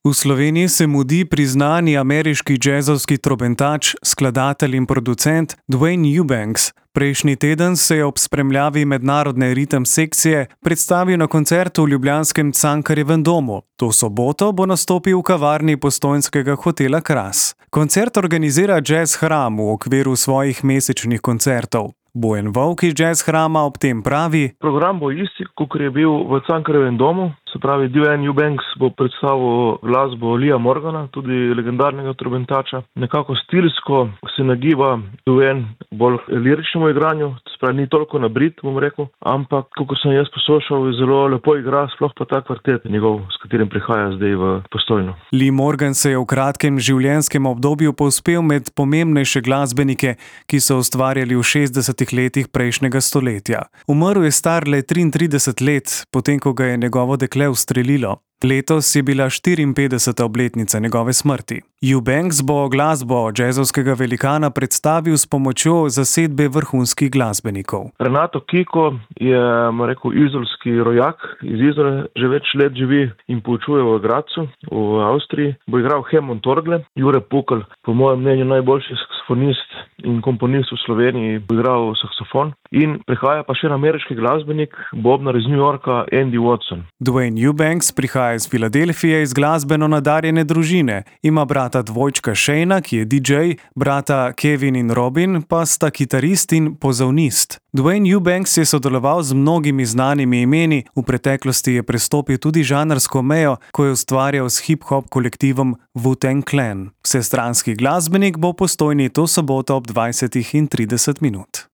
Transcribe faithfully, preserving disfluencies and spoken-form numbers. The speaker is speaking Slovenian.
V Sloveniji se mudi priznani ameriški džezovski trobentač, skladatelj in producent Duane Eubanks. Prejšnji teden se je ob spremljavi mednarodne ritem sekcije predstavil na koncertu v ljubljanskem Cankarjevem domu. To soboto bo nastopil v kavarni postojnskega hotela Kras. Koncert organizira Jazz Hram v okviru svojih mesečnih koncertov. Bojan Volk iz Jazz Hrama ob tem pravi: Program bo isti, kot je bil v Cankarjevem domu. Se pravi, Duane Eubanks bo predstavil glasbo Leeja Morgana, tudi legendarnega trobentača. Nekako stilsko se nagiba Duane bolj liričnemu igranju, se pravi, ni toliko nabrit, bom rekel, ampak, kot sem jaz poslušal, zelo lepo igra, sploh pa ta kvartet njegov, s katerim prihaja zdaj v Postojno. Lee Morgan se je v kratkem življenjskem obdobju povzpel med pomembnejše glasbenike, ki so ustvarjali v šestdesetih letih prejšnjega stoletja. Umrl je star le triintrideset let, potem ko ga je njegovo dekle ustrelilo. Letos je bila štiriinpetdeseta obletnica njegove smrti. Eubanks bo glasbo džezovskega velikana predstavil s pomočjo zasedbe vrhunskih glasbenikov. Renato Kiko je, rekel, izolski rojak, iz Izole že več let živi in poučuje v Gradcu, v Avstriji. Bo igral Hammond orgle. Jure Pukl, po mojem mnenju najboljši saksofonist in komponist v Sloveniji, bo igral saksofon. In prihaja pa še en ameriški glasbenik, bobnar iz New Yorka, Andy Watson. Duane Eubanks prihaja iz Filadelfije iz glasbeno nadarjene družine. Ima brata dvojčka Shayna, ki je D J, brata Kevin in Robin pa sta kitarist in pozavnist. Duane Eubanks je sodeloval z mnogimi znanimi imeni, v preteklosti je prestopil tudi žanrsko mejo, ko je ustvarjal s hip-hop kolektivom Wu-Tang Clan. Vsestranski glasbenik bo v Postojni to soboto ob dvajsetih in trideset minut.